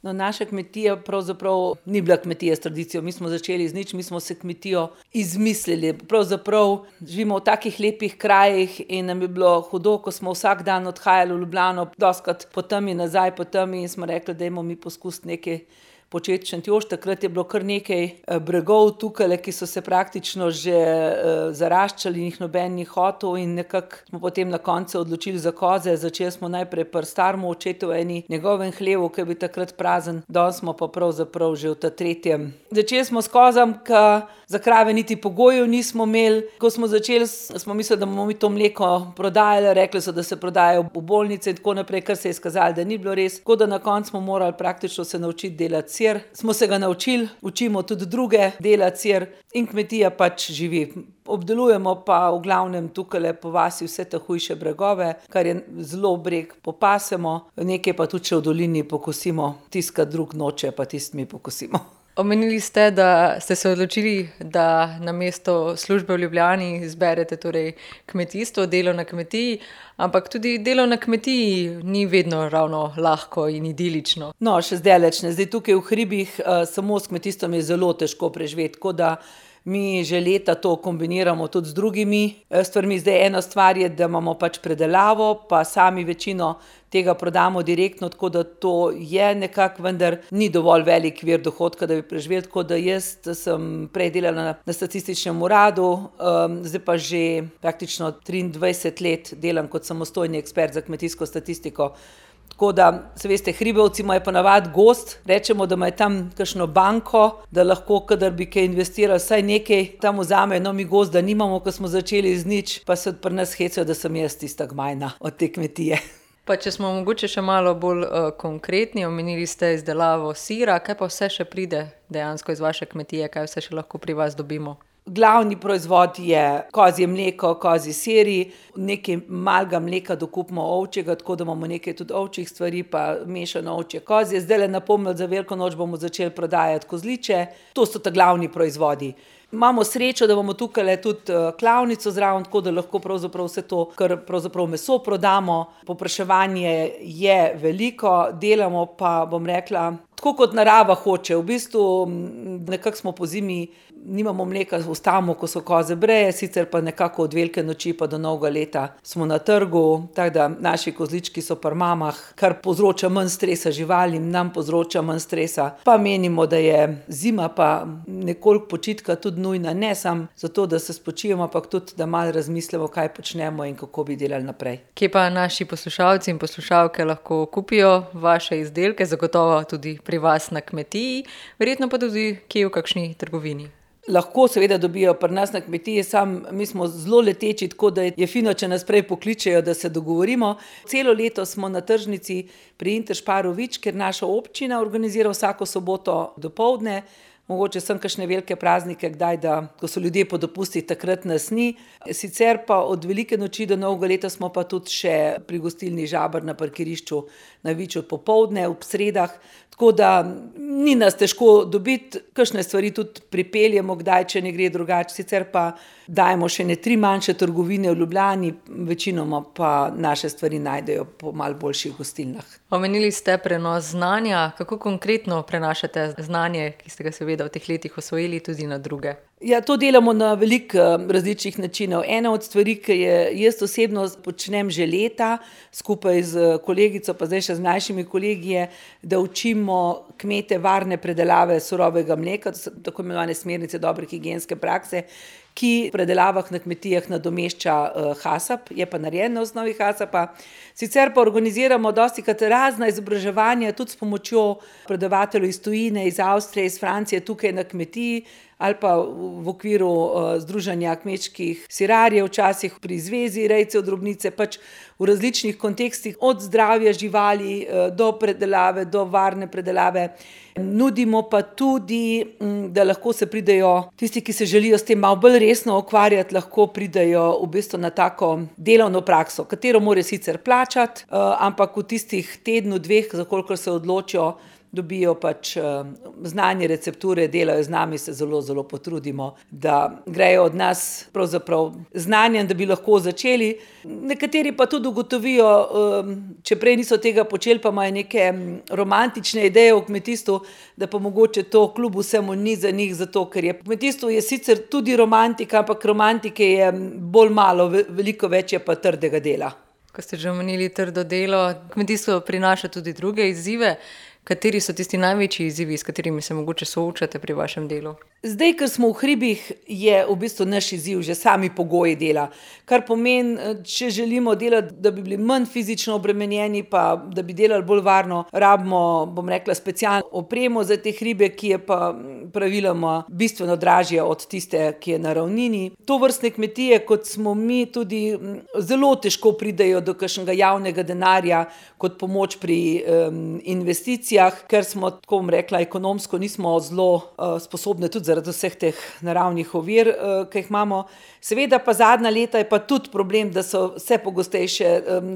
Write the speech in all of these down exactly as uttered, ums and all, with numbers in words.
No, naša kmetija pravzaprav ni bila kmetija s tradicijo, mi smo začeli z nič, mi smo se kmetijo izmislili. Pravzaprav živimo v takih lepih krajih in nam je bilo hudo, ko smo vsak dan odhajali v Ljubljano, dostikrat po temi nazaj, po temi in smo rekli, dajmo mi poskusiti nekaj početi v Šentjošt. Takrat je bilo kar nekaj bregov tukaj, ki so se praktično že uh, zaraščali in jih noben ni hotel in nekako smo potem na koncu odločili za koze. Začeli smo najprej pri starem očetu eni njegovem hlevu, ki je bil takrat prazen, danes smo pa pravzaprav že v ta tretjem. Začeli smo s kozam, ki za krave niti pogojev nismo imeli. Ko smo začeli, smo mislili, da bomo mi to mleko prodajali, rekli so, da se prodajajo v bolnice in tako naprej, kar se je izkazalo, da ni bilo res. Tako da na koncu smo morali praktično se naučiti delati sir. Smo se ga naučili, učimo tudi druge delati sir in kmetija pač živi. Obdelujemo pa v glavnem tukaj po vasi vse te hujše bregove, kar je zelo breg popasemo, nekaj pa tudi še v dolini pokosimo, tisto, kar drug noče, pa tisto mi pokosimo. Omenili ste, da ste se odločili, da namesto službe v Ljubljani izberete torej kmetijstvo, delo na kmetiji, ampak tudi delo na kmetiji ni vedno ravno lahko in idilično. No, še zdaleč ne. Zdaj tukaj v hribih uh, samo s kmetijstvom je zelo težko preživeti, tako da mi že leta to kombiniramo tudi z drugimi stvarmi. Zdaj ena stvar je, da imamo pač predelavo, pa sami večino tega prodamo direktno, tako da to je nekako, vendar ni dovolj velik vir dohodka, da bi preživeli. Tako da jaz sem prej delala na, na statističnem uradu, um, zdaj pa že praktično triindvajset let delam kot samostojni ekspert za kmetijsko statistiko. Tako da, se veste, hribovci imajo ponavadi gozd, rečemo, da imajo tam kakšno banko, da lahko, kadar bi kaj investirali, vsaj nekaj tam vzamejo. No, mi gozda nimamo, ko smo začeli z nič, pa se pri nas hecajo, da sem jaz tista gmajna od te kmetije. Pa če smo mogoče še malo bolj uh, konkretni, omenili ste izdelavo sira, kaj pa vse še pride dejansko iz vaše kmetije, kaj vse še lahko pri vas dobimo? Glavni proizvod je kozje mleko, kozji siri, nekaj malega mleka dokupimo ovčjega, tako da imamo nekaj tudi ovčjih stvari, pa mešano ovčje kozje. Zdaj le napomnili, za veliko noč bomo začeli prodajati kozliče. To so ta glavni proizvodi. Imamo srečo, da bomo tukaj tudi klavnico zraven, tako da lahko pravzaprav vse to, kar pravzaprav meso prodamo. Povpraševanje je veliko, delamo pa, bom rekla, tako kot narava hoče. V bistvu nekako smo po zimi, nimamo mleka, ustavimo, ko so koze breje, sicer pa nekako od velike noči pa do novega leta smo na trgu, tako da naši kozlički so pri mamah, kar povzroča manj stresa živalim, nam povzroča manj stresa. Pa menimo, da je zima pa nekoliko počitka tudi nujna, ne samo zato, da se spočijemo, ampak tudi, da malo razmislimo, kaj počnemo in kako bi delali naprej. Kje pa naši poslušalci in poslušalke lahko kupijo vaše izdelke, zagotovo tudi pri vas na kmetiji, verjetno pa tudi kje v kakšni trgovini? Lahko seveda dobijo pri nas na kmetiji, sam mi smo zelo leteči, tako da je fino, če nas prej pokličejo, da se dogovorimo. Celo leto smo na tržnici pri Interšparu Vič, ker naša občina organizira vsako soboto dopoldne. Mogoče sem kakšne velike praznike, kdaj, da, ko so ljudje po dopustih, takrat nas ni. Sicer pa od velike noči do novega leta smo pa tudi še pri gostilni Žabar na parkirišču na Viču popoldne, ob sredah. Tako da ni nas težko dobiti, kakšne stvari tudi pripeljemo, kdaj, če ne gre drugače. Sicer pa dajemo še ne tri manjše trgovine v Ljubljani, večinoma pa naše stvari najdejo po malo boljših gostilnah. Omenili ste prenos znanja. Kako konkretno prenašate znanje, ki ste ga seveda v teh letih osvojili, tudi na druge? Ja, to delamo na veliko različnih načinov. Ena od stvari, ki je jaz osebno počnem že leta, skupaj z kolegico, pa zdaj še z mlajšimi kolegi, je, da učimo kmete varne predelave surovega mleka, to so tako imenovane smernice dobre higienske prakse, ki v predelavah na kmetijah nadomešča uh, hasap, je pa narejen na osnovi hasapa. Sicer pa organiziramo dostikrat razna izobraževanja, tudi s pomočjo predavateljev iz tujine, iz Avstrije, iz Francije, tukaj na kmetiji, ali pa v okviru uh, Združenja kmečkih sirarjev, včasih pri Zvezi rejcev drobnice, pač v različnih kontekstih, od zdravja živali uh, do predelave, do varne predelave. Nudimo pa tudi, da lahko se pridejo, tisti, ki se želijo s tem malo bolj resno ukvarjati, lahko pridejo v bistvu na tako delovno prakso, katero more sicer plačati, uh, ampak v tistih tednu, dveh, za kolikor se odločijo, dobijo pač znanje, recepture, delajo z nami, se zelo, zelo potrudimo, da grejo od nas pravzaprav znanjem, da bi lahko začeli. Nekateri pa tudi ugotovijo, če prej niso tega počeli, pa imajo neke romantične ideje o kmetijstvu, da pa mogoče to kljub vsemu ni za njih, zato ker je kmetijstvo je sicer tudi romantika, ampak romantike je bolj malo, veliko več je pa trdega dela. Ko ste že omenili trdo delo, kmetijstvo prinaša tudi druge izzive. Kateri so tisti največji izzivi, s katerimi se mogoče soočate pri vašem delu? Zdaj, ker smo v hribih, je v bistvu naš izziv že sami pogoji dela. Kar pomeni, če želimo delati, da bi bili manj fizično obremenjeni, pa da bi delali bolj varno, rabimo, bom rekla, specialno opremo za te hribe, ki je pa praviloma bistveno dražja od tiste, ki je na ravnini. Tovrstne kmetije, kot smo mi, tudi zelo težko pridejo do kakšnega javnega denarja kot pomoč pri um, investicijah, ker smo, tako bom rekla, ekonomsko nismo zelo uh, sposobne tudi zaradi vseh teh naravnih ovir, ki jih imamo. Seveda pa zadnja leta je pa tudi problem, da so vse pogostejše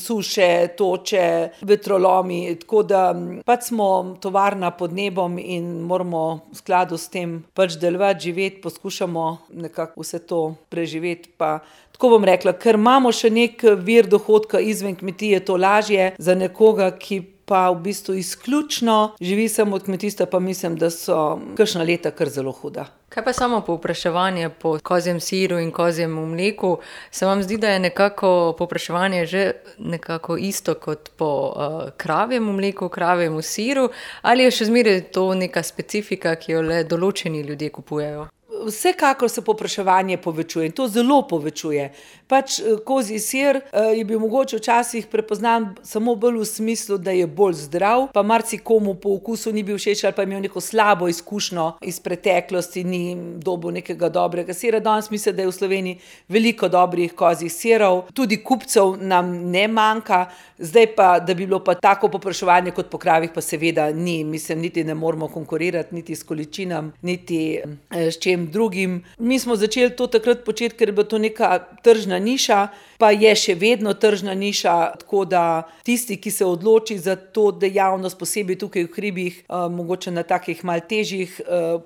suše, toče, vetrolomi, tako da pač smo tovarna pod nebom in moramo v skladu s tem pač delovati, živeti, poskušamo nekako vse to preživeti. Pa tako bom rekla, ker imamo še nek vir dohodka izven kmetije, to lažje za nekoga, ki pa v bistvu izključno živi samo od kmetijstva, pa mislim, da so kakšna leta kar zelo huda. Kaj pa samo povpraševanje po kozjem siru in kozjem mleku? Se vam zdi, da je nekako povpraševanje že nekako isto kot po uh, kravjem mleku, kravjem siru, ali je še zmeraj to neka specifika, ki jo le določeni ljudje kupujejo? Vsekakor se povpraševanje povečuje in to zelo povečuje. Pač kozji sir je bil mogoče včasih prepoznan samo bolj v smislu, da je bolj zdrav, pa marsikomu po okusu ni bil všeč ali pa je imel neko slabo izkušnjo iz preteklosti, ni dobil nekega dobrega sira. Danes mislim, da je v Sloveniji veliko dobrih kozjih sirov, tudi kupcev nam ne manjka, zdaj pa, da bi bilo pa tako povpraševanje kot po kravih, pa seveda ni. Mislim, niti ne moramo konkurirati, niti s količinam, niti s čem drugim. Mi smo začeli to takrat početi, ker je bila to neka tržna niša, pa je še vedno tržna niša, tako da tisti, ki se odloči za to dejavnost, posebej tukaj v hribih, mogoče na takih malo težjih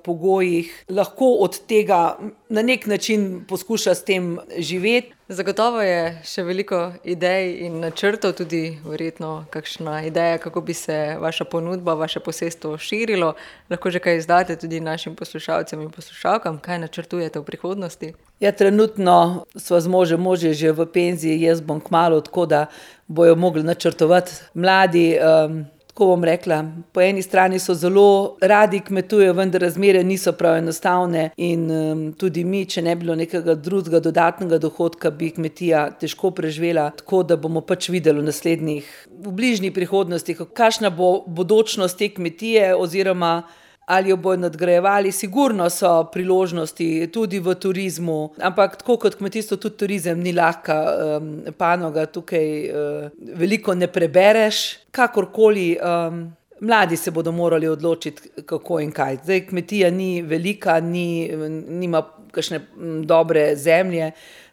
pogojih, lahko od tega na nek način poskuša s tem živeti. Zagotovo je še veliko idej in načrtov, tudi verjetno kakšna ideja, kako bi se vaša ponudba, vaše posestvo širilo. Lahko že kaj izdate tudi našim poslušalcem in poslušalkam, kaj načrtujete v prihodnosti? Ja, trenutno sva z možem, mož je že v penziji, jaz bom kmalu, tako da bojo mogli načrtovati mladi. Um, Tako bom rekla, po eni strani so zelo radi kmetujejo, vendar razmere niso prav enostavne in um, tudi mi, če ne bilo nekega drugega dodatnega dohodka, bi kmetija težko preživela, tako da bomo pač videli v naslednjih, v bližnji prihodnosti, kakšna bo bodočnost te kmetije oziroma ali jo bojo nadgrajevali. Sigurno so priložnosti tudi v turizmu, ampak tako kot kmetijstvo, tudi turizem ni lahka um, panoga, tukaj uh, veliko ne prebereš, kakorkoli. Um, mladi se bodo morali odločiti, kako in kaj. Zdaj kmetija ni velika, ni, nima kakšne dobre zemlje,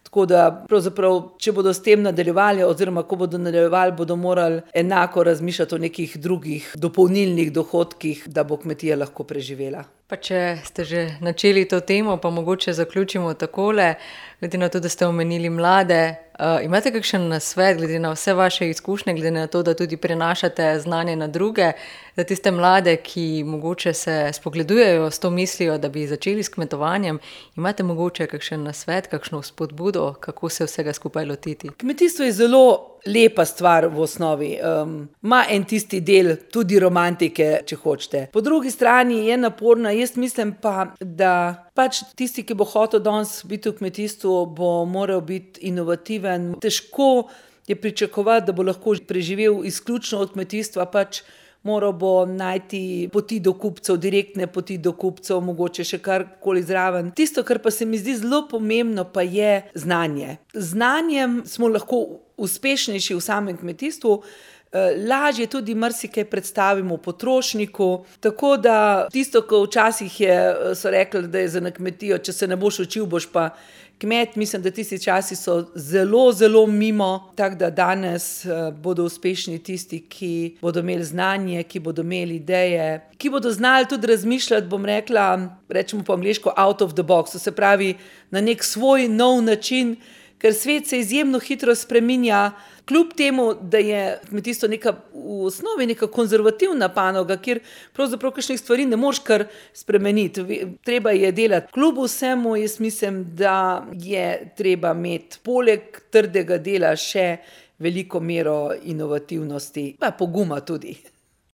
tako da pravzaprav, če bodo s tem nadaljevali oziroma ko bodo nadaljevali, bodo morali enako razmišljati o nekih drugih dopolnilnih dohodkih, da bo kmetija lahko preživela. Pa če ste že načeli to temo, pa mogoče zaključimo takole, glede na to, da ste omenili mlade, uh, imate kakšen nasvet, glede na vse vaše izkušnje, glede na to, da tudi prenašate znanje na druge, za tiste mlade, ki mogoče se spogledujejo s to mislijo, da bi začeli s kmetovanjem, imate mogoče kakšen nasvet, kakšno spodbudo, kako se vsega skupaj lotiti? Kmetijstvo je zelo lepa stvar v osnovi. Um, ima en tisti del tudi romantike, če hočete. Po drugi strani je naporna, jaz mislim pa, da pač tisti, ki bo hotel danes biti v kmetijstvu, bo moral biti inovativen. Težko je pričakovati, da bo lahko preživel izključno od kmetijstva, pač moral bo najti poti do kupcev, direktne poti do kupcev, mogoče še karkoli zraven. Tisto, kar pa se mi zdi zelo pomembno, pa je znanje. Z znanjem smo lahko uspešnejši v samem kmetijstvu, lažje tudi marsikaj predstavimo potrošniku. Tako da tisto, ko včasih je, so rekli, da je za na kmetijo, če se ne boš učil, boš pa kmet, mislim, da tisti časi so zelo, zelo mimo, tako da danes bodo uspešni tisti, ki bodo imeli znanje, ki bodo imeli ideje, ki bodo znali tudi razmišljati, bom rekla, rečemo po angleško out of the box, to se pravi na nek svoj nov način, ker svet se izjemno hitro spreminja, kljub temu, da je kmetijstvo neka, v osnovi neka konzervativna panoga, kjer pravzaprav kakšnih stvari ne moreš kar spremeniti. Treba je delati. Kljub vsemu jaz mislim, da je treba imeti poleg trdega dela še veliko mero inovativnosti, pa poguma tudi.